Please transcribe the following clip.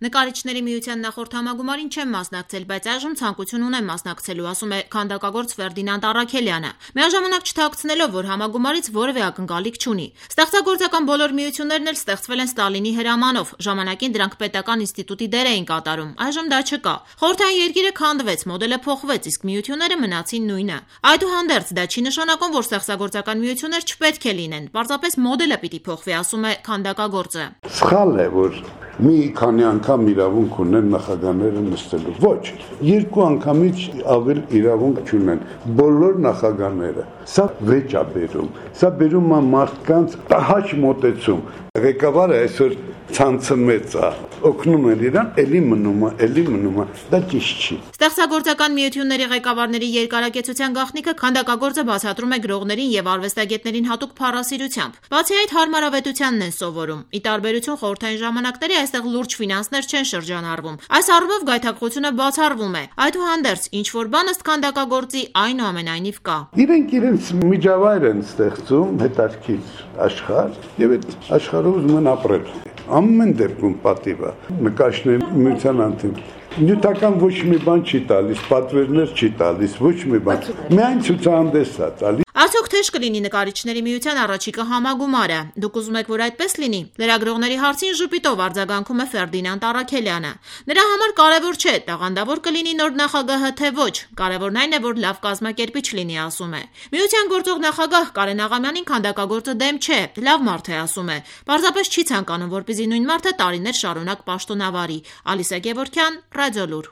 Նկարիչների միության նախորդ համագումարին չեմ մասնակցել, բայց այժմ ցանկություն ունեմ մասնակցելու, ասում է քանդակագործ Ֆերդինանդ Առաքելյանը, միաժամանակ չթաքցնելով, որ համագումարից որևէ ակնկալիք չունի։ Ստեղծագործական բոլոր միություններն էլ ստեղծվել են Ստալինի հրամանով, ժամանակին դրանք պետական ինստիտուտի դեր էին կատարում, այժմ դա չկա։ Խորհրդային երկիրը քանդվեց, մոդելը փոխվեց, իսկ միությունները մնացին նույնը։ Այդուհանդերձ դա չի նշանակում, որ ստեղծագործական միություններ չպետք է լինեն, պարզապես մոդելը պիտի փոխվի, ասում է քանդակագործը։ Սխալ է, որ մի քանի անգամ իրավունք ունեն նախագահները նստելու։ Ոչ, երկու անգամից ավել իրավունք չունեն բոլոր նախագահները։ Սա վեճ է բերում։ Սա բերում է մարդկանց տհաճ մոտեցում։ Ղեկավարը այսօր ցանցը մեծ է, օգնում են իրան, էլի մնում է, դա ճիշտ չի։ Ստեղծագործական միությունների ղեկավարների երկարակեցության գաղտնիքը քանդակագործը բացատրում է գրողներին եւ արվեստագետներին հատուկ փառասիրությամբ։ Բացի այդ, հարմարավետությանն են սովորում։ Ի տարբերություն խորհրդային ժամանակների, այստեղ լուրջ ֆինանսներ չեն շրջանառվում։ Այս առումով գայթակղությունը բացառվում է։ Այդուհանդերձ, ինչ որ բան ըստ քանդակագործի այնուամենայնիվ կա։ Իրենք իրենց միջավայր են ստեղծում, հետաքրքիր աշխարհ, եւ այդ աշխարհով ուզում են ապրել։ Ամեն դեպքում պատիվ է, նկարիչների միության անդամ։ Նյութական ոչ մի բան չի տալիս, պատվերներ չի տալիս, ոչ մի բան։ Միայն ցուցահանդես է տալիս։ Արդյոք թեժ կլինի նկարիչների միության առաջիկա համագումարը։ Դուք ուզում եք, որ այդպես լինի։ Լրագրողների հարցին ժպիտով արձագանքում է Ֆերդինանդ Առաքելյանը։ Նրա համար կարևոր չէ, տաղանդավոր կլինի նոր նախագահը թե ոչ։ Կարևորն այն է, որ լավ կազմակերպիչ լինի, ասում է։ Միության գործող նախագահ Կարեն Աղամյանին քանդակագործը դեմ չէ, լավ մարդ է, ասում է։ Պարզապես չի ցանկանում, որպեսզի նույն մարդը տարիներ շարունակ պաշտոնավարի։ Ալիսա Գևորգյան, Ռադիոլուր։